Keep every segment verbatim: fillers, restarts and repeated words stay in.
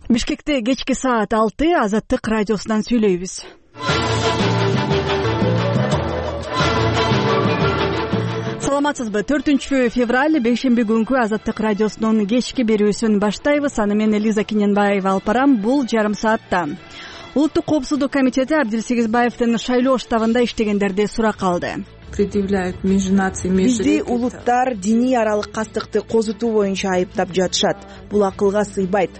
Бишкекте кечки саат алты Азаттык радиосунан сүйлөйбүз. Саламатсызбы? төртүнчү февраль бейшемби күнкү Азаттык радиосунун кечки берүүсүн баштайбыз. Аны мен Элиза Кененбаева алып барам. Бул жарым саатта Улуттук коопсуздук комитети Абдил Сегизбаевдин шайлоо штабында иштегендерди суракка алды. Предъявляют межнации, бизди улуттар диний аралык кастыкты козутуу боюнча айыптап жатышат. Бул акылга сыйбайт.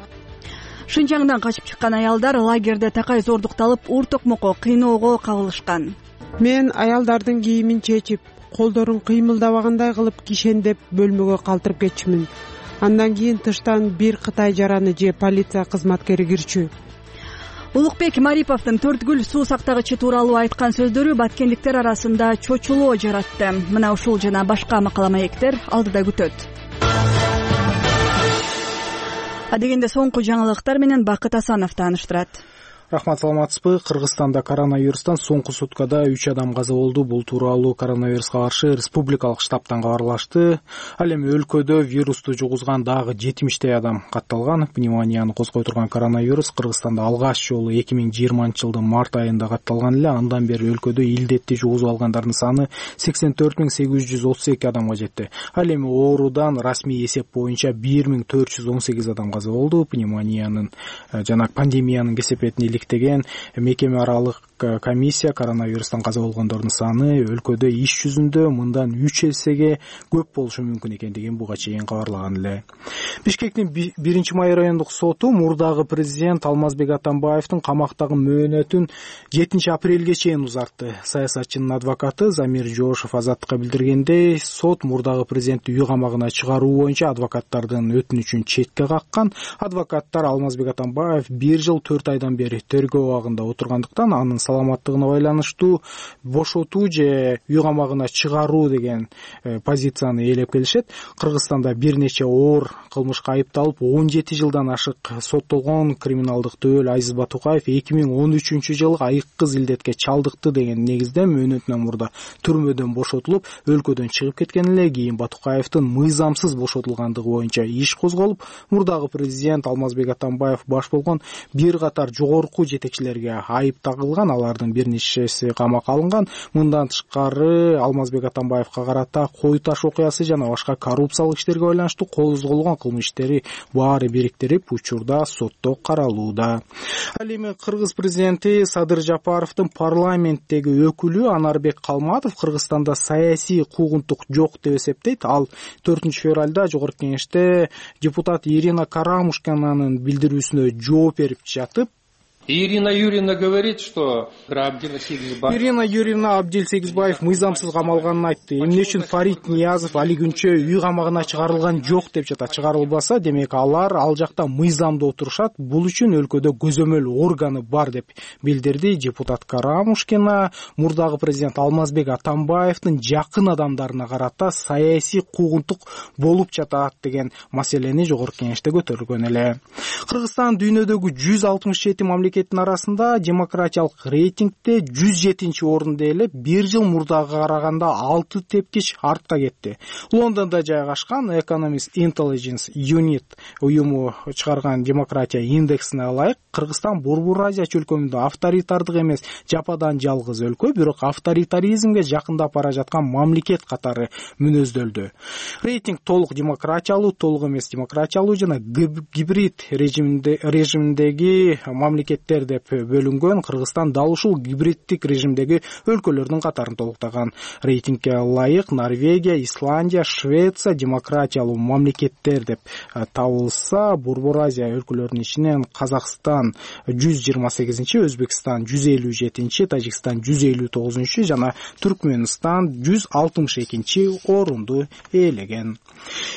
Шынжаңдан качып чыккан аялдар лагерде такай зордукталып, ур токмокко, кыйноого кабылышкан. Мен аялдардын кийимин чечип, колдорун кыймылдабагандай кылып кишендеп бөлмөгө калтырып кетчүмүн. Андан кийин тыштан бир Кытай жараны же полиция кызматкери кирчү. Улукбек Мариповдун төртгүл суу сактагычы тууралуу айткан сөздөрү баткендиктер арасында чочулоо жаратты. Мына ушул жана башка макала маектер алдыда күтөт. Адегенде соңку жаңылыктар менен Бакыт Асанов тааныштырат. Рахмат, саламатсызбы? Кыргызстанда коронавирустан соңку суткада үч адам каза болду. Бул тууралуу коронавируска каршы республикалык штабтан кабарлашты. Ал эми өлкөдө вирусту жугузган дагы жетимиштей адам катталган. Пневмонияны козгой турган коронавирус Кыргызстанда алгач жолу эки миң жыйырманчы жылдын март айында катталган эле. Андан бери өлкөдө илдетти жугузуп алгандардын саны сексен төрт миң сегиз жүз отуз эки адамга жетти. Ал эми оорудан расмий эсеп боюнча бир миң төрт жүз он сегиз адам каза болду. Пневмониянын жана пандемиянын кесепетин иликтеген мекеме аралык комиссия коронавирустан каза болгондордун саны өлкөдө иш жүзүндө мындан үч эсеге көп болушу мүмкүн экендигин буга чейин кабарлаган эле. Бишкектин биринчи май райондук соту мурдагы президент Алмазбек Атамбаевдин камактагы мөөнөтүн жетинчи апрелге чейин узартты. Саясатчынын адвокаты Замир Жошев Азаттыкка билдиргендей, сот мурдагы президентти үй камагына чыгаруу боюнча адвокаттардын өтүнүчүн четке каккан. Адвокаттар Алмазбек Атамбаев бир жыл төрт айдан бери тергөө абагында отургандыктан анын саламаттыгына байланыштуу бошотуу же үй камагына чыгаруу деген э, позицияны ээлеп келишет. Кыргызстанда бир нече оор кылмышка айыпталып он жети жылдан ашык соттолгон криминалдык дөөл Айзиз Батукаев эки миң он үчүнчү жылы айыккыз илдетке чалдыкты деген негизде мөөнөтүнөн мурда түрмөдөн бошотулуп, өлкөдөн чыгып кеткен эле. Кийин Батукаевдин мыйзамсыз бошотулгандыгы боюнча иш козголуп, мурдагы президент Алмазбек Атамбаев баш болгон бир катар жогорку жетекчилерге айып тагылган. Алардын бир нечеси камакка алынган. Мындан тышкары Алмазбек Атамбаевга карата кой таш окуясы жана башка коррупциялык иштерге байланыштуу козголгон кылмыш иштери баары бириктирип учурда сотто каралууда. Ал эми Кыргыз президенти Садыр Жапаровдун парламенттеги өкүлү Анарбек Калматов Кыргызстанда саясий куугунтук жок деп эсептейт. Ал төртүнчү февралда жогорку кеңеште депутат Ирина Карамушкинанын билдирүүсүнө жооп берип жатып, Ирина Юрьевна говорит, что Абдил Сегизбаев... Ирина Юрьевна Абдил Сегизбаев мыйзамсыз камалганын айтты. Эмне үчүн Фарид Ниязов али күнчө үй камагына чыгарылган жок деп жатат. Чыгарылбаса, демек алар ал жакта мыйзамда отурушат. Бул үчүн өлкөдө көзөмөл органы бар деп билдирди депутат Карамушкина. Мурдагы президент Алмазбек Атамбаевдин жакын адамдарына карата саясий куугунтук болуп жатат деген маселени жогорку кеңеште көтөрүлгөн эле. Кыргызстан дүйнөдөгү жүз алтымыш жети мамлекет арасында демократиялык рейтингде жүз жетинчи орунда эле бир жыл мурдага караганда алты тепкич артка кетти. Лондондо жайгашкан Economist Intelligence Unit уюму чыгарган демократия индексине ылайык Кыргызстан Борбор Азия чөлкөмүндө авторитардык эмес жападан жалгыз өлкө, бирок авторитаризмге жакындап бара жаткан мамлекет катары мүнөздөлдү. Рейтинг толук демократиялуу, толук эмес демократиялуу жана гибрид режиминде режиминдеги мамлекет деп бөлүнгөн. Кыргызстан дал ушул гибриддик режимдеги өлкөлөрдүн катарын толуктаган. Рейтингге ылайык Норвегия, Исландия, Швеция демократиялуу мамлекеттер деп табылса, Борбор Азия өлкөлөрүнүн ичинен Казакстан жүз жыйырма сегизинчи, Өзбекстан жүз элүү жетинчи, Тажикстан жүз элүү тогузунчу жана Түркмөнстан жүз алтымыш экинчи орунду ээлеген.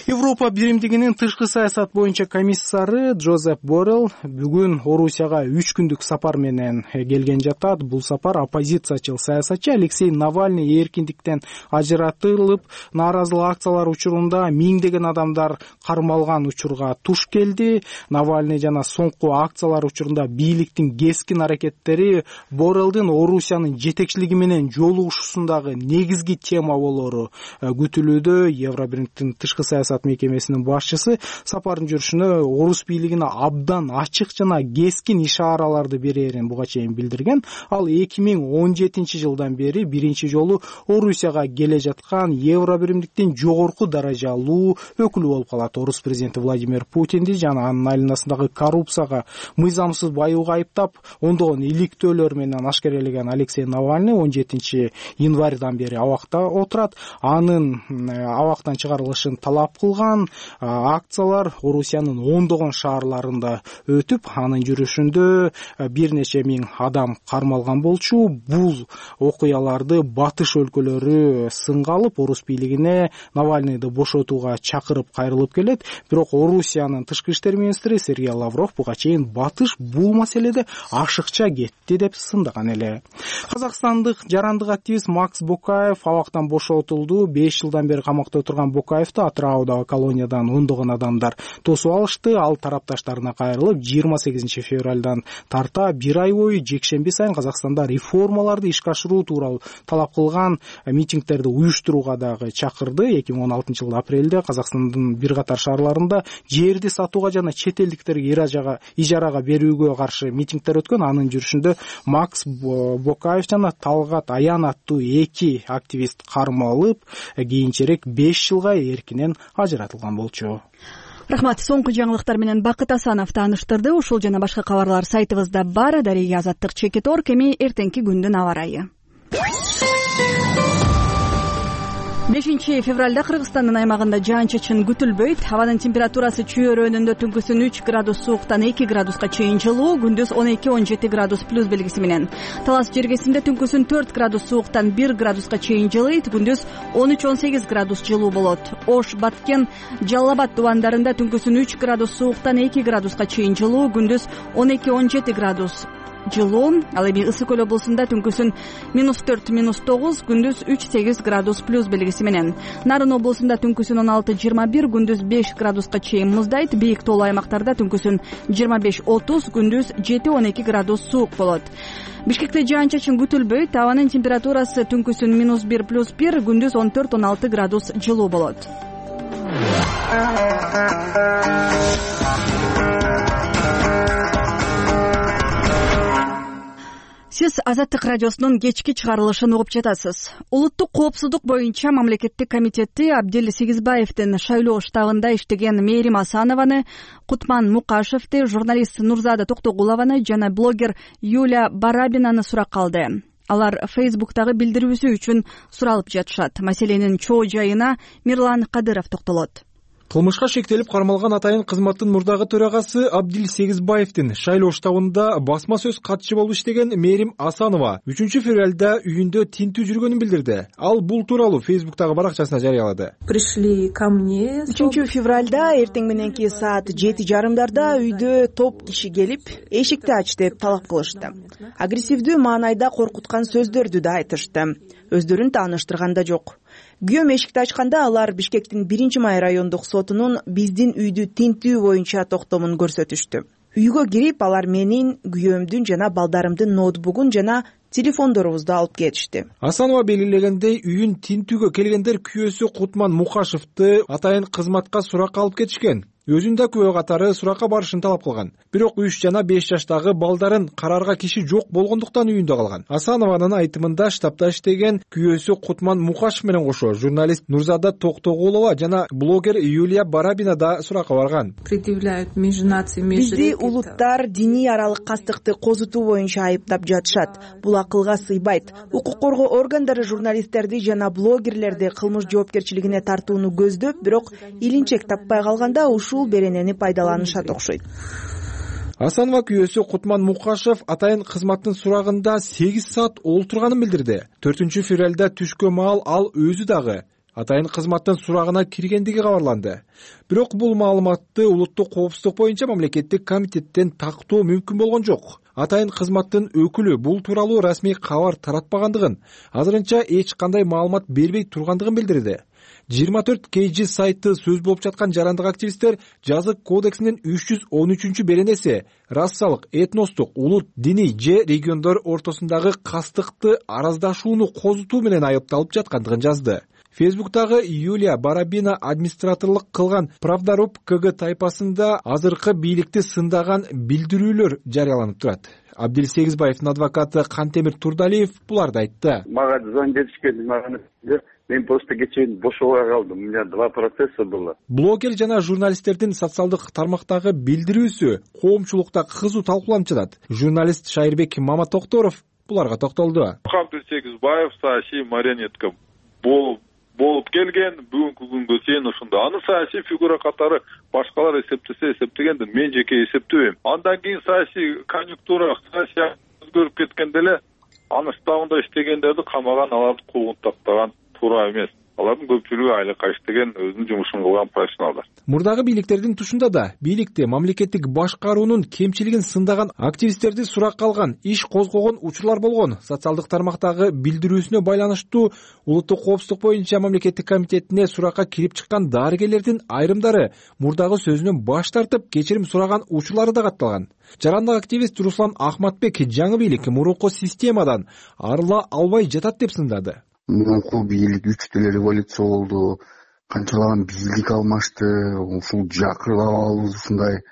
Европа биримдигинин тышкы саясат боюнча комиссары Джозеп Боррелл бүгүн Орусияга үч күндүк сапар менен келген жатат. Бул сапар оппозициячыл саясатчы Алексей Навальный эркиндиктен ажыратылып, нааразылык акциялар учурунда миңдеген адамдар кармалган учурга туш келди. Навальный жана соңку акциялар учурунда бийликтин кескин аракеттери Боррелдин Орусиянын жетекчилиги менен жолугушуусундагы негизги тема болору күтүлүүдө. Евробириктин тышкы саясат мекемесинин башчысы сапардын жүрүшүнө орус бийлигине абдан ачык жана кескин ишараларды берерин буга чейин билдирген. Ал эки миң он жетинчи жылдан бери биринчи жолу Орусияга келе жаткан Евробиримдиктин жогорку даражалуу өкүлү болуп калат. Орус президенти Владимир Путинди жана анын айланасындагы коррупцияга мыйзамсыз баюуга айыптап, ондогон иликтөөлөр менен ашкерелеген Алексей Навальный он жетинчи январдан бери абакта отурат. Анын абактан чыгарылышын талап кылган акциялар Орусиянын ондогон шаарларында өтүп, анын жүрүшүндө бир нече миң адам кармалган болчу. Бул окуяларды батыш өлкөлөрү сынга алып, Орус бийлигине Навальныйды бошотууга чакырып кайрылып келет. Бирок Орусиянын тышкы иштер министри Сергей Лавров буга чейин батыш бул маселеде ашыкча кетти деп сындаган эле. Казакстандык жарандык активист Макс Бокаев абактан бошотулду. беш жылдан бери камакта отурган Бокаевди Атыраудагы колониядан ондогон адамдар тосуп алышты. Ал тарапташтарына кайрылып, жыйырма сегизинчи февралдан тарта бир ай бою жекшемби сайын Казакстанда реформаларды ишке ашыруу тууралуу талап кылган митингдерди уюштурууга дагы чакырды. эки миң он алтынчы жылы апрелде Казакстандын бир катар шаарларында жерди сатууга жана чет элдиктерге ижарага берүүгө каршы митингдер өткөн. Анын жүрүшүндө Макс Бокаев жана Талгат Аян аттуу эки активист кармалып, кийинчерээк беш жылга эркинен ажыратылган болчу. Рахмат. Соңку жаңылыктар менен Бакыт Асанов тааныштырды. Ушул жана башка кабарлар сайтыбызда бар. Дарыга Азаттык Чекитор. Кеми эртеңки күндүн аба ырайы. бешинчи февралда Кыргызстандын аймагында жаан-чачын күтүлбөйт. Абанын температурасы чүй өрөөнүндө түнкүсүн үч градус сууктан эки градуска чейин жылуу, күндүз он эки он жети градус плюс белгиси менен. Талас жергесинде түнкүсүн төрт градус сууктан бир градуска чейин жылыйт, күндүз он үч он сегиз градус жылуу болот. Ош, Баткен, Жалал Абад тубандарында түнкүсүн үч градус сууктан эки градуска чейин жылуу, күндүз он эки он жети градус жылуу. Ал эми Ысык Көл облусунда түнкүсүн минус төрт минус тогуз, күндүз үч сегиз градус плюс белгиси менен. Нарын облусунда түнкүсүн он алты жыйырма бир, күндүз беш градуска чейин муздайт. Бийик тоолуу аймактарда түнкүсүн жыйырма беш отуз, күндүз жети он эки градус суук болот. Бишкекте жаан-чачын күтүлбөйт. Абанын температурасы түнкүсүн минус бир плюс бир, күндүз он төрт он алты градус жылуу болот. Сиз Азаттык радиосунун кечки чыгарылышын угуп жатасыз. Улуттук коопсуздук боюнча мамлекеттик комитети Абдил Сегизбаевдин шайлоо штабында иштеген Мээрим Асанованы, Кутман Мукашевди, журналист Нурзада Токтогулованы жана блогер Юлия Барабинаны суракка алды. Алар Фейсбуктагы билдирүүсү үчүн суралып жатышат. Маселенин чоо жайына Мирлан Кадыров токтолот. Кылмышка шектелип кармалган атайын кызматтын мурдагы төрагасы Абдил Сегизбаевдин шайлоо штабында басма сөз катчы болуп иштеген Мээрим Асанова үчүнчү февралда үйүндө тинтүү жүргөнүн билдирди. Ал бул тууралуу Фейсбуктагы баракчасына жарыялады. Пришли ко мне. үчүнчү февралда эртең мененки саат жети жарымдарда үйдө топ киши келип, эшикти ач деп талап кылышты. Агрессивдүү маанайда коркуткан сөздөрдү да айтышты. Өздөрүн тааныштырганда жок. Күйөөм эшикти ачканда алар Бишкектин биринчи май райондук сотунун биздин үйдү тинтүү боюнча токтомун көрсөтүштү. Үйгө кирип, алар менин, күйөөмдүн жана балдарымдын ноутбугун жана телефондорубузду алып кетишти. Асанова белгилегендей, үйүн тинтүүгө келгендер күйөөсү Кутман Мукашевди атайын кызматка суракка алып кетишкен. Өзүн да күбө катары суракка барышын талап кылган. Бирок үч жана беш жаштагы балдарын карарга киши жок болгондуктан үйүндө калган. Асанованын айтымында штабта иштеген күйөөсү Кутман Мукашев менен кошо журналист Нурзада Токтогулова жана блогер Юлия Барабина да суракка барган. Предъявляют межнации меж Бизди улуттар диний аралык кастыкты козутуу боюнча айыптап жатышат. Бул акылга сыйбайт. Укук коргоо органдары журналисттерди жана блогерлерди кылмыш жоопкерчилигине тартууну көздөп, бирок илинчек таппай калганда ушул беренени пайдаланышат окшойт. Асанова күйөөсү Кутман Мукашев атайын кызматтын сурагында сегиз саат олтурганын билдирди. төртүнчү февралда түшкө маал ал өзү дагы атайын кызматтын сурагына киргендиги кабарланды. Бирок бул маалыматты улуттук коопсуздук боюнча мамлекеттик комитеттен тактоо мүмкүн болгон жок. атайын кызматтын өкүлү бул тууралуу расмий кабар таратпагандыгын, азырынча эч кандай маалымат бербей тургандыгын билдирди. жыйырма төрт кей жи сайты сөз болуп жаткан жарандык активисттер жазык кодексинин үч жүз он үчүнчү беренеси расалык, этностук, улут, диний же региондор ортосундагы кастыкты араздашууну козутуу менен айыпталып жаткандыгын жазды. Фейсбуктагы Юлия Барабина администраторлук кылган Правдаруб КГ тайпасында азыркы бийликти сындаган билдирүүлөр жарыяланып турат. Абдил Сегизбаевдин адвокаты Кантемир Турдалиев буларды айтты. Мага звонить беришкен, мен просто кечээ бошобой калдым. У меня два процесса было. Блогер жана журналисттердин социалдык тармактагы билдирүүсү коомчулукта кызуу талкууланып жатат. Журналист Шайырбек Маматокторов буларга токтолду. Абдил Сегизбаев саясий марионетка болуп болуп келген, бүгүнкү күнгө чейин ушунда. Аны саясий фигура катары башкалар эсептесе эсептегенде мен жеке эсептебейм. Андан кийин саясий конъюнктура, саясий өзгөрүп кеткенде эле аны штабында иштегендерди камаган, аларды куугун тактаган туура эмес. Алардын көпчүлүгү айлыкка иштеген, өзүнүн жумушун кылган профессионалдар. Мурдагы бийликтердин тушунда да бийликти, мамлекеттик башкаруунун кемчилигин сындаган активисттерди суракка алган, иш козгогон учурлар болгон. Социалдык тармактагы билдирүүсүнө байланыштуу улуттук коопсуздук боюнча мамлекеттик комитетине суракка кирип чыккан дарыгерлердин айрымдары мурдагы сөзүнөн баш тартып, кечирим сураган учурлары да катталган. Жарандык активист Руслан Ахматбек жаңы бийлик мурунку системадан арыла албай жатат деп сындады. Мурунку бийлик үч деле революция болду, канчалаган бийлик алмашты, ушул жакырлап алып ушундай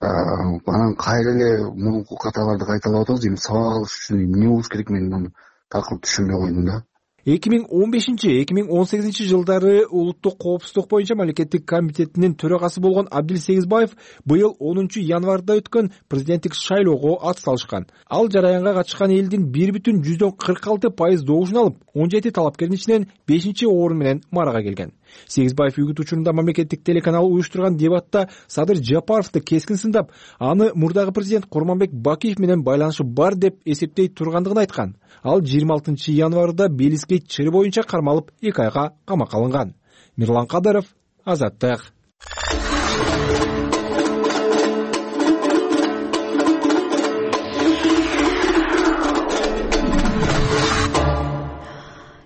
анан кайра эле мурунку каталарды кайталап атабыз. Эми сабак алыш үчүн эмне болуш керек, мен муну такыр түшүнбөй койдум да. эки миң он бешинчи эки миң он сегизинчи жылдары улуттук коопсуздук боюнча мамлекеттик комитетинин төрагасы болгон Абдил Сегизбаев быйыл онунчу январда өткөн президенттик шайлоого ат салышкан. Ал жараянга катышкан элдин бир бүтүн жүздөн кырк алты пайыз добушун алып, он жети талапкердин ичинен бешинчи орун менен марага келген. Сегизбаев үгүт учурунда мамлекеттик телеканал уюштурган дебатта Садыр Жапаровду кескин сындап, аны мурдагы президент Курманбек Бакиев менен байланышы бар деп эсептей тургандыгын айткан. Ал жыйырма алтынчы январда Белискей чыры боюнча кармалып эки айга камакка алынган. Мирлан Кадыров, Азаттык.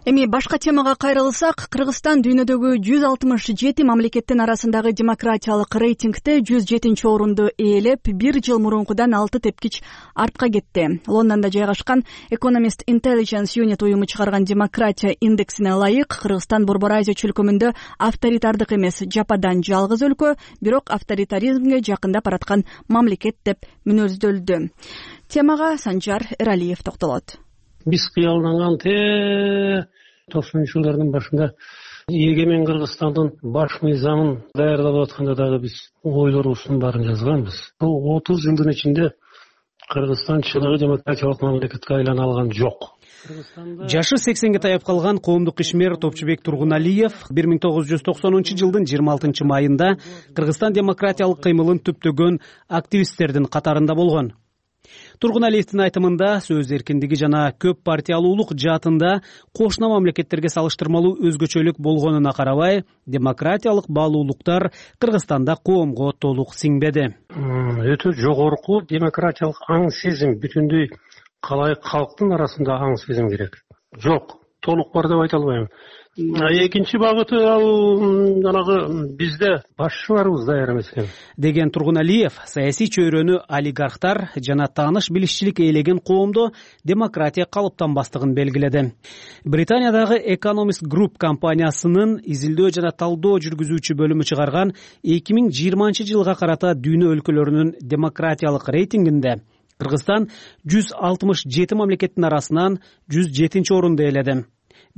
Эми башка темага кайрылсак, Кыргызстан дүйнөдөгү жүз алтымыш жети мамлекеттин арасындагы демократиялык рейтингде жүз жетинчи орунду ээлеп, бир жыл мурункудан алты тепкич артка кетти. Лондондо жайгашкан Economist Intelligence Unit уюму чыгарган демократия индексине ылайык, Кыргызстан Борбор Азия чөлкөмүндө авторитардык эмес, жападан жалгыз өлкө, бирок авторитаризмге жакындап бараткан мамлекет деп мүнөздөлдү. Темага Санжар Эралиев токтолот. Биз кыялданган те токсонунчу жылдардын башында эгемен Кыргызстандын баш мыйзамын даярдап атканда дагы биз ойлорубуздун баарын жазганбыз. Бул отуз жылдын ичинде Кыргызстан чыныгы демократиялык мамлекетке айлана алган жок. Жашы сексенге таяп калган коомдук ишмер Топчубек Тургуналиев бир миң тогуз жүз токсонунчу жылдын жыйырма алтынчы майында Кыргызстан демократиялык кыймылын түптөгөн активисттердин катарында болгон. Тургуналиевдин айтымында сөз эркиндиги жана көп партиялуулук жаатында кошуна мамлекеттерге салыштырмалуу өзгөчөлүк болгонуна карабай, демократиялык баалуулуктар Кыргызстанда коомго толук сиңбеди. Өтө жогорку демократиялык аң сезим, бүтүндөй калайык калктын арасында аң сезим керек. Жок, толук бар деп айта албайм. Экинчи багыты ал жанагы бизде башчыларыбыз даяр эмес экен деген Тургуналиев саясий чөйрөнү олигархтар жана тааныш билишчилик ээлеген коомдо демократия калыптанбастыгын белгиледи. Британиядагы Economist Group компаниясынын изилдөө жана талдоо жүргүзүүчү бөлүмү чыгарган эки миң жыйырманчы жылга карата дүйнө өлкөлөрүнүн демократиялык рейтингинде Кыргызстан жүз алтымыш жети мамлекеттин арасынан жүз жетинчи орунду ээледи.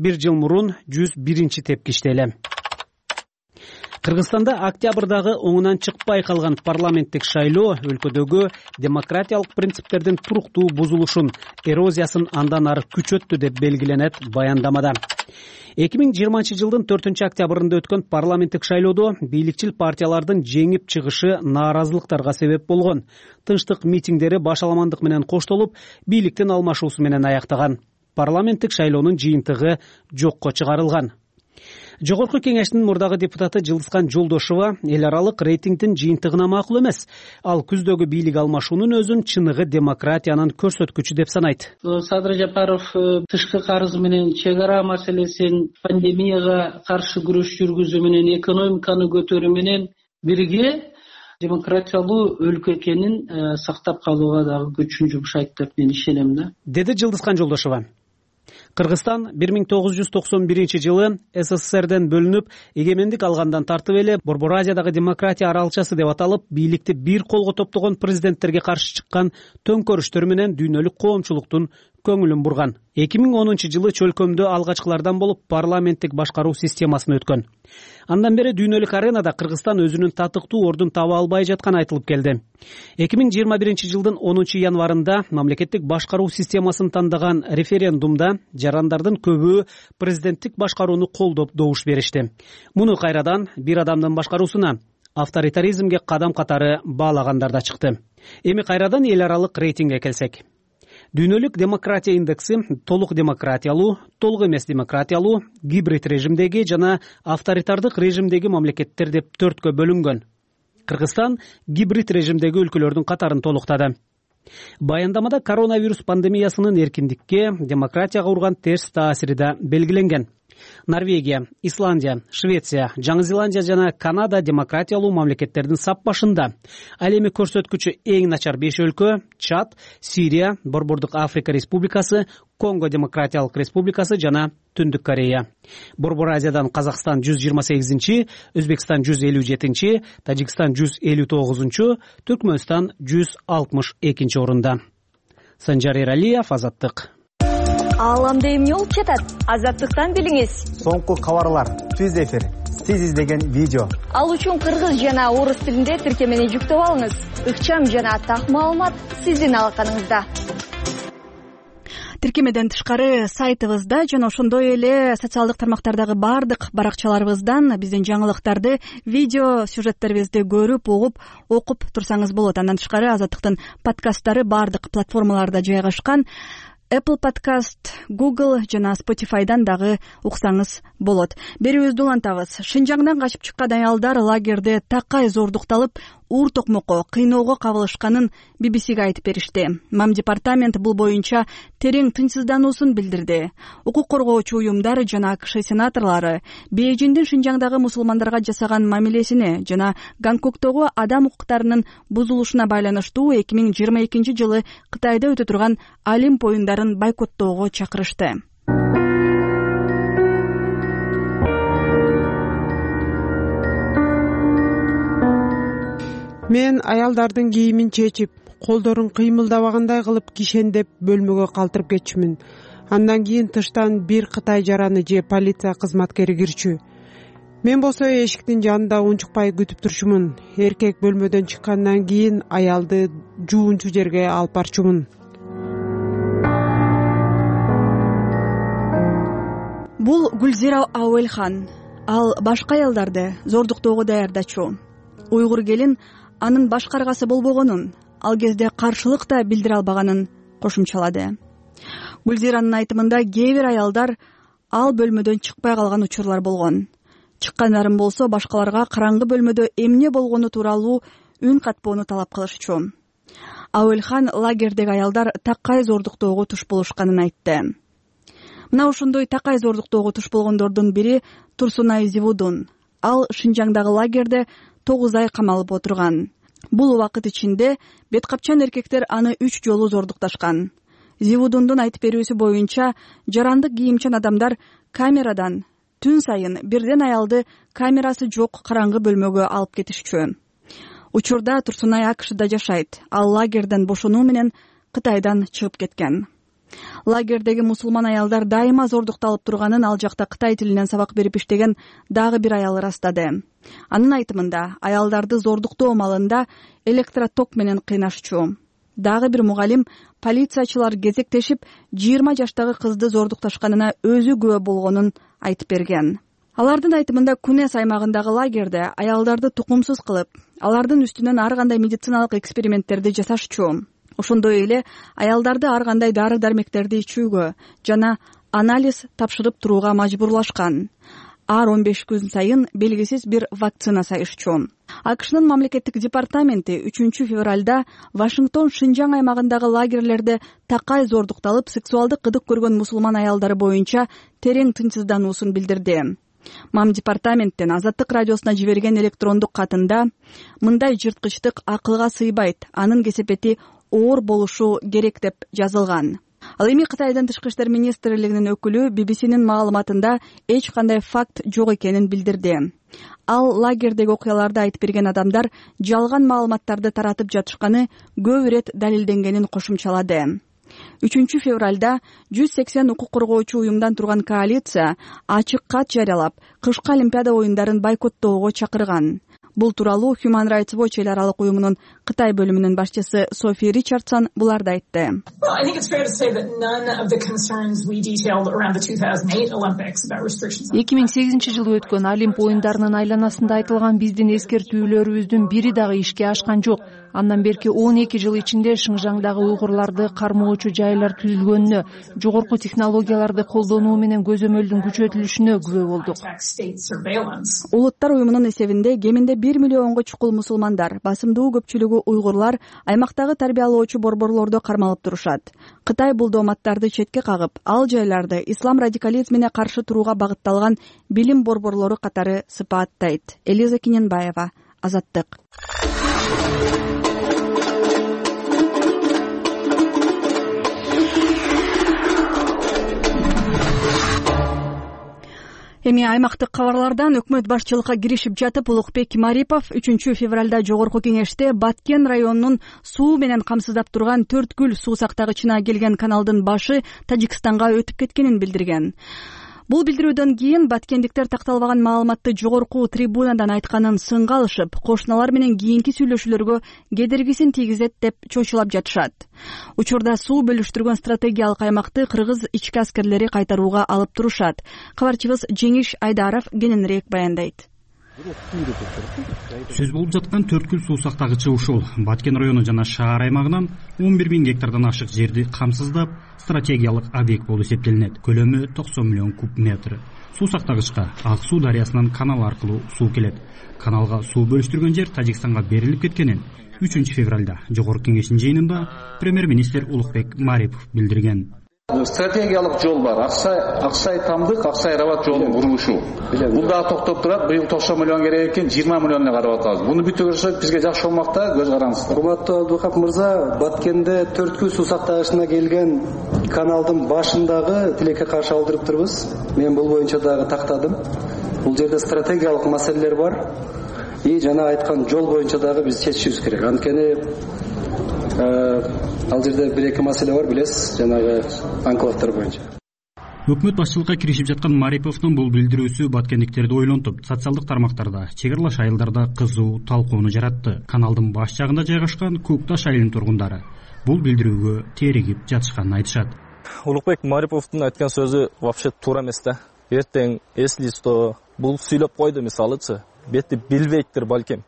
Бир жыл мурун жүз биринчи тепкичте эле. Кыргызстанда октябрдагы оңунан чыкпай калган парламенттик шайлоо өлкөдөгү демократиялык принциптердин туруктуу бузулушун, эрозиясын андан ары күчөттү деп белгиленет баяндамада. эки миң жыйырманчы жылдын төртүнчү октябрында өткөн парламенттик шайлоодо бийликчил партиялардын жеңип чыгышы нааразылыктарга себеп болгон. Тынчтык митингдери башаламандык менен коштолуп, бийликтин алмашуусу менен аяктаган. Парламенттик шайлоонун жыйынтыгы жокко чыгарылган. Жогорку кеңештин мурдагы депутаты Жылдызкан Жолдошова эл аралык рейтингдин жыйынтыгына макул эмес. Ал күздөгү бийлик алмашуунун өзүн чыныгы демократиянын көрсөткүчү деп санайт. Садыр Жапаров тышкы карыз менен чек ара маселесин, пандемияга каршы күрөш жүргүзүү менен, экономиканы көтөрүү менен бирге демократиялуу өлкө экенин сактап калууга дагы күчүн жумшайт деп мен ишенем да, деди Жылдызкан Жолдошова. Кыргызстан бир миң тогуз жүз токсон биринчи жылы СССРден бөлүнүп, эгемендик алгандан тартып эле Борбор Азиядагы демократия аралчасы деп аталып, бийликти бир колго топтогон президенттерге каршы чыккан төңкөрүштөр менен дүйнөлүк коомчулуктун көңүлүн бурган. эки миң онунчу жылы чөлкөмдө алгачкылардан болуп парламенттик башкаруу системасына өткөн. Андан бери дүйнөлүк аренада Кыргызстан өзүнүн татыктуу ордун таба албай жатканы айтылып келди. эки миң жыйырма биринчи жылдын онунчу январында мамлекеттик башкаруу системасын тандаган референдумда жарандардын көбү президенттик башкарууну колдоп добуш беришти. Муну кайрадан бир адамдын башкаруусуна, авторитаризмге кадам катары баалагандар да чыкты. Эми кайрадан эл аралык рейтингге келсек. Дүйнөлүк демократия индекси толук демократиялуу, толук эмес демократиялуу, гибрид режимдеги жана авторитардык режимдеги мамлекеттер деп төрткө бөлүнгөн. Кыргызстан гибрид режимдеги өлкөлөрдүн катарын толуктады. Баяндамада коронавирус пандемиясынын эркиндикке, демократияга урган терс таасири да белгиленген. Норвегия, Исландия, Швеция, Жаңы Зеландия жана Канада демократиялуу мамлекеттердин сап башында. Ал эми көрсөткүчү эң начар беш өлкө: Чад, Сирия, Борбордук Африка Республикасы, Конго Демократиялык Республикасы жана Түндүк Корея. Борбор Азиядан Казакстан жүз жыйырма сегизинчи, Өзбекстан жүз элүү жетинчи, Тажикстан жүз элүү тогузунчу, Түркмөнстан жүз алтымыш экинчи орунда. Санжар Эралиев, Азаттык. Ааламда эмне болуп жатат? Азаттыктан билиңиз. Соңку кабарлар, түз эфир, сиз издеген видео. Ал үчүн кыргыз жана орус тилинде тиркемени жүктөп алыңыз. Ыкчам жана так маалымат сиздин алаканыңызда. Тиркемеден тышкары сайтыбызда жана ошондой эле социалдык тармактардагы бардык баракчаларыбыздан биздин жаңылыктарды, видео сюжеттерибизди көрүп, угуп, окуп турсаңыз болот. Андан тышкары Азаттыктын подкасттары бардык платформаларда жайгашкан. Apple Podcast, Google жана Spotify'дан дагы уксаңыз болот. Берүүбүздү улантабыз. Шинжаңдан качып чыккан аялдар лагерде такай зордукталып, уур токмокко, кыйноого кабылышканын би би сиге айтып беришти. Мам департамент бул боюнча терең тынчсыздануусун билдирди. Укук коргоочу уюмдар жана АКШ сенаторлору Бейжиңдин Шинжаңдагы мусулмандарга жасаган мамилесине жана Гонконгдогу адам укуктарынын бузулушуна байланыштуу эки миң жыйырма экинчи жылы Кытайда өтө турган Олимп оюндарын бойкоттоого чакырышты. Мен аялдардын кийимин чечип, колдорун кыймылдабагандай кылып кишендеп бөлмөгө калтырып кетчүмүн. Андан кийин тыштан бир кытай жараны же полиция кызматкери кирчү. Мен болсо эшиктин жанында унчукпай күтүп турчумун. Эркек бөлмөдөн чыккандан кийин аялды жуунчу жерге алып барчумун. Бул Гүлзира Ауэлхан. Ал башка аялдарды зордуктоого даярдачу. Уйгур келин анын баш каргасы болбогонун, ал кезде каршылык да билдире албаганын кошумчалады. Гүлзиранын айтымында кээ бир аялдар ал бөлмөдөн чыкпай калган учурлар болгон. Чыккандарын болсо башкаларга караңгы бөлмөдө эмне болгону тууралуу үн катпоону талап кылышчу. Ауэлхан лагердеги аялдар такай зордуктоого туш болушканын айтты. Мына ошондой такай зордуктоого туш болгондордун бири Турсунай Зивудун. Ал Шинжаңдагы лагерде тогуз ай камалып отурган. Бул убакыт ичинде бет капчан эркектер аны үч жолу зордукташкан. Зивудундун айтып берүүсү боюнча, жарандык кийимчан адамдар камерадан түн сайын бирден аялды камерасы жок караңгы бөлмөгө алып кетишчү. Учурда Турсунай АКШда жашайт. Ал лагерден бошонуу менен Кытайдан чыгып кеткен. Лагердеги мусулман аялдар дайыма зордукталып турганын ал жакта кытай тилинен сабак берип иштеген дагы бир аял ырастады. Анын айтымында, аялдарды зордуктоо маалында электроток менен кыйнашчу. Дагы бир мугалим полициячылар кезектешип жыйырма жаштагы кызды зордукташканына өзү күбө болгонун айтып берген. Алардын айтымында Кунес аймагындагы лагерде аялдарды тукумсуз кылып, алардын үстүнөн ар кандай медициналык эксперименттерди жасашчу. Ошондой эле аялдарды ар кандай дары-дармектерди ичүүгө жана анализ тапшырып турууга мажбурлашкан. ар он беш күн сайын белгисиз бир вакцина сайышчу. АКШнын мамлекеттик департаменти үчүнчү февралда Вашингтон Шинжаң аймагындагы лагерлерде такай зордукталып, сексуалдык кыдык көргөн мусулман аялдары боюнча терең тынчсыздануусун билдирди. Мам департаменттен Азаттык радиосуна жиберген электрондук катында мындай жырткычтык акылга сыйбайт, анын кесепети оор болушу керек деп жазылган. Ал эми Кытайдын тышкы иштер министрлигинин өкүлү би би синин маалыматында эч кандай факт жок экенин билдирди. Ал лагердеги окуяларды айтып берген адамдар жалган маалыматтарды таратып жатышканы көп ирет далилденгенин кошумчалады. үчүнчү февралда жүз сексен укук коргоочу уюмдан турган коалиция ачык кат жарыялап, кышкы Олимпиада оюндарын бойкоттоого чакырган. Бул тууралуу Human Rights Watch эл аралык уюмунун Кытай бөлүмүнүн башчысы Софи Ричардсон буларды айтты. эки миң сегизинчи жылы өткөн Олимп оюндарынын айланасында айтылган биздин эскертүүлөрүбүздүн бири дагы ишке ашкан жок. Андан берки он эки жыл ичинде Шыңжаңдагы уйгурларды кармоочу жайлар түзүлгөнүнө, жогорку технологияларды колдонуу менен көзөмөлдүн күчөтүлүшүнө күбө болдук. Улуттар уюмунун эсебинде кеминде бир миллионго чукул мусулмандар, басымдуу көпчүлүгү уйгурлар аймактагы тарбиялоочу борборлордо кармалып турушат. Кытай бул дооматтарды четке кагып, ал жайларды ислам радикализмине каршы турууга багытталган билим борборлору катары сыпааттайт. Элиза Киненбаева, Азаттык. Эми аймактык кабарлардан өкмөт башчылыкка киришип жатып, Улукбек Марипов үчүнчү февралда жогорку кеңеште Баткен районунун суу менен камсыздап турган Төрткүл суу сактагычына келген каналдын башы Тажикстанга өтүп кеткенин билдирген. Бул билдирүүдөн кийин баткендиктер такталбаган маалыматты жогорку трибунадан айтканын сынга алышып, кошуналар менен кийинки сүйлөшүүлөргө кедергисин тийгизет деп чочулап жатышат. Учурда суу бөлүштүргөн стратегиялык аймакты кыргыз ички аскерлери кайтарууга алып турушат. Кабарчыбыз Жеңиш Айдаров кененирээк баяндайт. Сөз болуп жаткан Төрткүл суу сактагычы ушул. Баткен району жана шаар аймагынан он бир миң гектардан ашык жерди камсыздап, стратегиялык объект болуп эсептелинет. Көлөмү токсон миллион куб метр. Суу сактагычка Ак суу дарыясынан канал аркылуу суу келет. Каналга суу бөлүштүргөн жер Тажикстанга берилип кеткенин үчүнчү февралда жогорку кеңештин жыйынында премьер-министр Улукбек Марипов билдирген. Стратегиялык жол бар. Аксай, Аксай Тамдык, Аксай Рабат жолунун курулушу. Бул дагы токтоп турат. Быйыл токсон миллион керек экен, жыйырма миллионго карап атабыз. Буну бүтүрсөк бизге жакшы болмакта, көз караңыздар. Урматтуу Абдукап мырза, Баткенде Төрткүл суу сактагычына келген каналдын башындагы тилекке каршы алдырып турбуз. Мен бул боюнча дагы тактадым. Бул жерде стратегиялык маселелер бар. И жана айткан жол боюнча дагы биз чечишибиз керек. Анткени ал жерде бир эки маселе бар, билесиз, жанагы анклавдар боюнча. Өкмөт башчылыкка киришип жаткан Мариповдун бул билдирүүсү баткендиктерди ойлонтуп, социалдык тармактарда, чек аралаш айылдарда кызуу талкууну жаратты. Каналдын баш жагында жайгашкан Көкташ айылынын тургундары бул билдирүүгө теригип жатышканын айтышат. Улукбек Мариповдун айткан сөзү вообще туура эмес да. Эртең эслисто бул сүйлөп койду мисалычы, бетти билбейттир балким.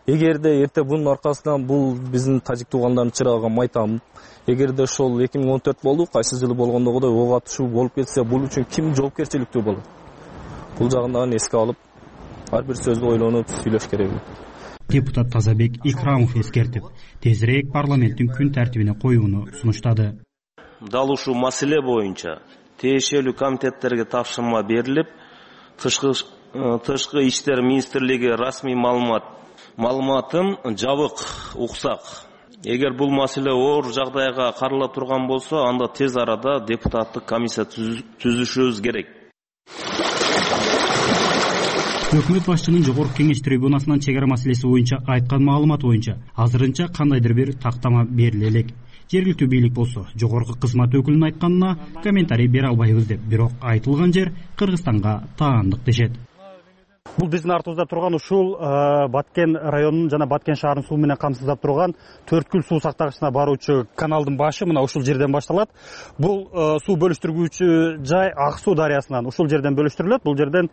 Эгерде эрте бунун аркасынан бул биздин тажик туугандардын чырагына майтам, эгерде ошол эки миң он төрт болду, кайсы жылы болгондогудой ок атышуу болуп кетсе, бул үчүн ким жоопкерчиликтүү болот? Бул жагын дагы эске алып, ар бир сөздү ойлонуп сүйлөш керек. Депутат Тазабек Икрамов эскертип, тезирээк парламенттин күн тартибине коюуну сунуштады. Дал ушул маселе боюнча тиешелүү комитеттерге тапшырма берилип, тышкы тышкы иштер министрлиги расмий маалымат маалыматын жабык уксак. Эгер бул маселе оор жагдайга карала турган болсо, анда тез арада депутаттык комиссия түзүшүбүз керек. Өкмөт башчынын жогорку кеңеш трибунасынан чек ара маселеси боюнча айткан маалымат боюнча азырынча кандайдыр бир тактама бериле элек. Жергиликтүү бийлик болсо жогорку кызмат өкүлүнүн айтканына комментарий бере албайбыз деп, бирок айтылган жер Кыргызстанга таандык дешет. Бул биздин артыбызда турган ушул Баткен районунун жана Баткен шаарынын суу менен камсыздап турган Төрткүл суу сактагычына баруучу каналдын башы мына ушул жерден башталат. Бул суу бөлүштүргүүчү жай Ак суу дарыясынан ушул жерден бөлүштүрүлөт. Бул жерден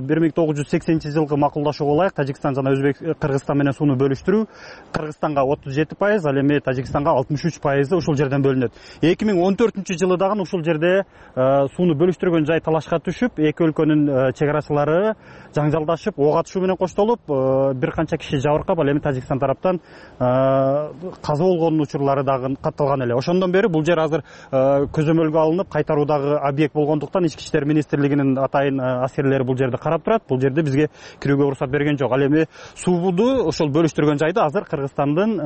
бир миң тогуз жүз сексенинчи жылкы макулдашууга ылайык Тажикстан жана Өзбек Кыргызстан менен сууну бөлүштүрүү Кыргызстанга отуз жети пайыз, ал эми Тажикстанга алтымыш үч пайызы ушул жерден бөлүнөт. эки миң он төртүнчү жылы дагы ушул жерде сууну бөлүштүргөн жай талашка түшүп, эки өлкөнүн чек арачылары жаңжалдашып, ок атышуу менен коштолуп, бир канча киши жабыркап, ал эми Тажикстан тараптан каза болгонун учурлары дагы катталган эле. Ошондон бери бул жер азыр көзөмөлгө алынып, кайтаруудагы объект болгондуктан Ички иштер министрлигинин атайын аскерлери бул жерди карап турат. Бул жерде бизге кирүүгө уруксат берген жок. Ал эми сууду ошол бөлүштүргөн жайды азыр Кыргызстандын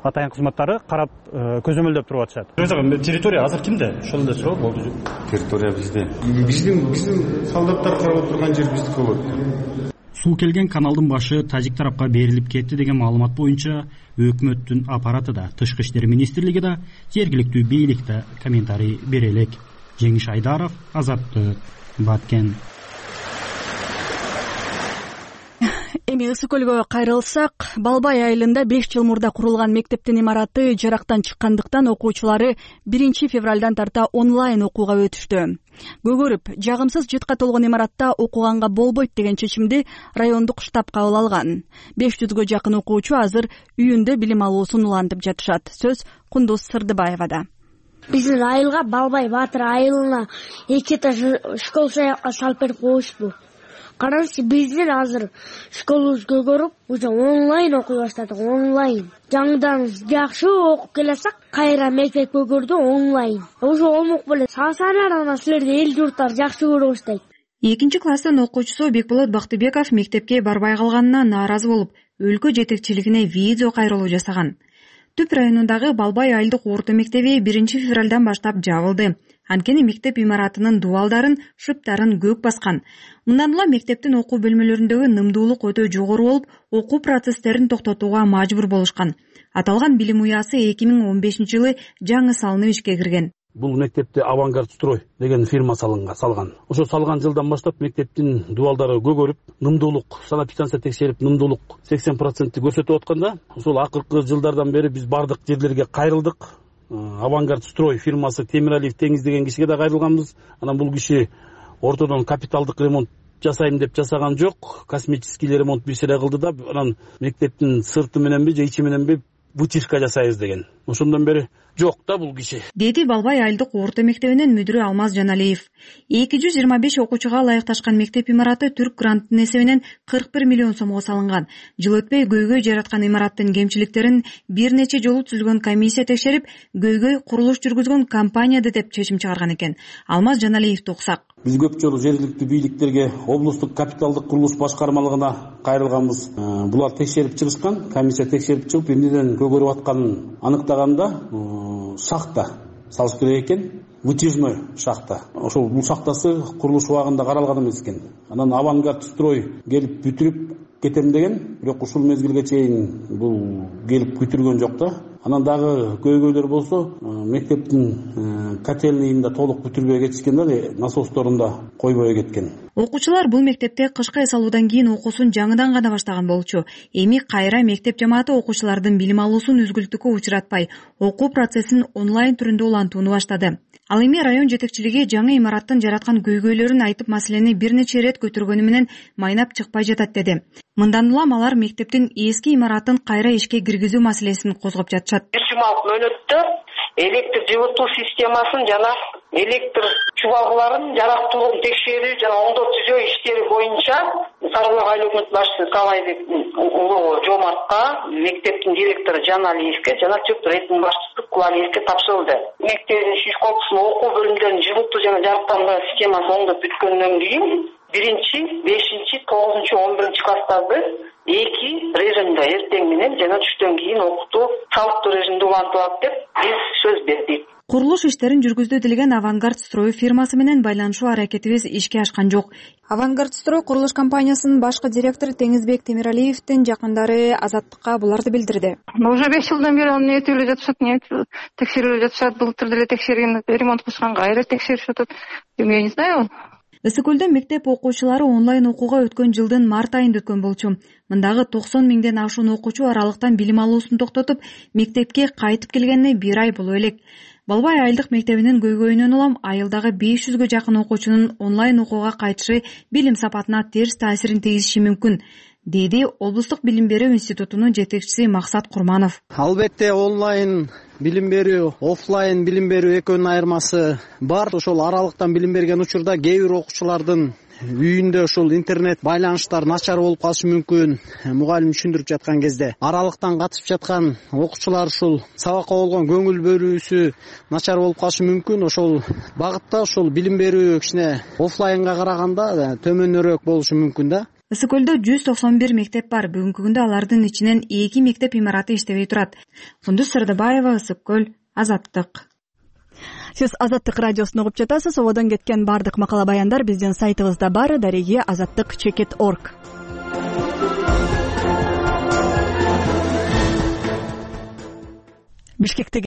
атайын кызматтары карап көзөмөлдөп туруп атышат. Территория азыр кимде? Ошол эле суроо болду. Территория бизде. Биздин биздин солдаттар карап турган жер биздики болот. Суу келген каналдын башы тажик тарапка берилип кетти деген маалымат боюнча өкмөттүн аппараты да, Тышкы иштер министрлиги да, жергиликтүү бийлик да комментарий бере элек. Жеңиш Айдаров, Азаттык, Баткен. Эми Ысык көлгө кайрылсак, Балбай айылында беш жыл мурда курулган мектептин имараты жарактан чыккандыктан окуучулары биринчи февралдан тарта онлайн окууга өтүштү. Көгөрүп, жагымсыз жытка толгон имаратта окуганга болбойт деген чечимди райондук штаб кабыл алган. беш жүзгө жакын окуучу азыр үйүндө билим алуусун улантып жатышат. Сөз Кундуз Сырдыбаевада. Биздин айылга Балбай Батыр айылына эки этаж школ саякка салып берип коюшпу. Караңызчы, биздин азыр школубуз көгөрүп, уже онлайн окуй баштадык, онлайн. Жаңыдан жакшы окуп келсек, кайра мектеп көгөрдү онлайн. Ошо олмок беле сасанардан силерди эл журттар жакшы көрө баштайт. Экинчи класстын окуучусу Бекболот Бактыбеков мектепке барбай калганына нааразы болуп, өлкө жетекчилигине видео кайрылуу жасаган. Түп районундагы Балбай айылдык орто мектеби биринчи февралдан баштап жабылды. Анткени мектеп имаратынын дубалдарын, шыптарын көк баскан. Мындан улам мектептин окуу бөлмөлөрүндөгү нымдуулук өтө жогору болуп, окуу процесстерин токтотууга мажбур болушкан. Аталган билим уясы эки миң он бешинчи жылы жаңы салынып ишке кирген. Бул мектепте Авангард строй деген фирма салган. Ошо салган жылдан баштап мектептин дубалдары көгөрүп, нымдуулук, санэпидстанция текшерип, нымдуулук сексен процент көрсөтүп атканда, ошол акыркы жылдардан бери биз бардык жерлерге кайрылдык. Авангард строй фирмасы Темиралиев Теңиз деген кишиге да кайрылганбыз. Анан бул киши ортодон капиталдык ремонт жасайм деп жасаган жок, косметический ремонт бир сире кылды да, анан мектептин сырты мененби же ичи мененби вытяжка жасайбыз деген. Ошондон бери жок да бул киши. Деди Балбай айылдык орто мектебинин мүдүрү Алмаз Жаналиев. эки жүз жыйырма беш окуучуга ылайыкташкан мектеп имараты түрк грантынын эсебинен кырк бир миллион сомго салынган. Жыл өтпөй көйгөй жараткан имараттын кемчиликтерин бир нече жолу түзүлгөн комиссия текшерип, көйгөй курулуш жүргүзгөн компанияда деп чечим чыгарган экен. Алмаз Жаналиевди уксак. Биз көп жолу жергиликтүү бийликтерге, облустук капиталдык курулуш башкармалыгына кайрылганбыз. Булар текшерип чыгышкан, комиссия текшерип чыгып, эмнеден көгөрүп атканын аныктаганда шахта салыш керек экен, вытяжной шахта. Ошол бул шахтасы курулуш убагында каралган эмес экен. Анан Авангард строй келип бүтүрүп кетем деген, бирок ушул мезгилге чейин бул келип бүтүргөн жок да. Анан дагы көйгөйлөр болсо, мектептин котельныйында толук бүтүрбөй кетишкен да, насосторунда койбой кеткен. Окуучулар бул мектепте кышкы эс алуудан кийин окуусун жаңыдан гана баштаган болчу. Эми кайра мектеп жамааты окуучулардын билим алуусун үзгүлтүккө учуратпай, окуу процессин онлайн түрүндө улантууну баштады. Ал эми район жетекчилиги жаңы имараттын жараткан көйгөйлөрүн айтып, маселени бир нече ирет көтөргөнү менен майнап чыкпай жатат деди. Мындан улам алар мектептин эски имаратын кайра ишке киргизүү маселесин козгоп жатышат. бир жумалык мөөнөттө электр жылытуу системасын жана электр чубалгыларын жарактуулугун текшерүү жана оңдоп түзөө иштери боюнча Сарыбулак айыл өкмөт башчысы Калайбек улуу Жомартка, мектептин директору Жаналиевке жана ЧОП рейдинин башчысы Кулалиевке тапшырылды. Мектептин шиш корпусунун окуу бөлүмдөрүнүн жылытуу жана жарыктандыруу системасы оңдоп бүткөндөн кийин биринчи, бешинчи, тогузунчу, он биринчи класстарды эки режимде эртең менен жана түштөн кийин окутуу салыктуу режимде улантылат деп биз сөз бердик. Курулуш иштерин жүргүздү делген Авангард строй фирмасы менен байланышуу аракетибиз ишке ашкан жок. Авангард строй курулуш компаниясынын башкы директору Теңизбек Темиралиевдин жакындары Азаттыкка буларды билдирди. Уже беш жылдан бери аны этип эле жатышат, текшерип эле жатышат. Былтыр деле текшерген, ремонт кылышкан, кайра текшерип жатат. Я не знаю. ысык көлдө мектеп окуучулары онлайн окууга өткөн жылдын март айында өткөн болчу. Мындагы токсон миңден ашуун окуучу аралыктан билим алуусун токтотуп, мектепке кайтып келгенине бир ай боло элек. Балбай айылдык мектебинин көйгөйүнөн улам айылдагы беш жүзгө жакын окуучунун онлайн окууга кайтышы билим сапатына терс таасирин тийгизиши мүмкүн, деди облустук билим берүү институтунун жетекчиси Максат Курманов. Албетте онлайн билим берүү, офлайн билим берүү экөөнүн айырмасы бар. Ошол аралыктан билим берген учурда кээ бир окуучулардын үйүндө ушул интернет байланыштар начар болуп калышы мүмкүн. Мугалим түшүндүрүп жаткан кезде аралыктан катышып жаткан окуучулар ушул сабакка болгон көңүл бөлүүсү начар болуп калышы мүмкүн. Ошол багытта ушул билим берүү кичине офлайнга караганда төмөнүрөөк болушу мүмкүн да. Ысык көлдө жүз токсон бир мектеп бар. Бүгүнкү күндө алардын ичинен эки мектеп имараты иштебей турат. Кундуз Сырдыбаева, Ысык көл, Азаттык. Сиз Азаттык радиосун угуп жатасыз. Ободон кеткен бардык макала баяндар биздин сайтыбызда бар. Дареги азаттык чекит точка орг. Бишкектеги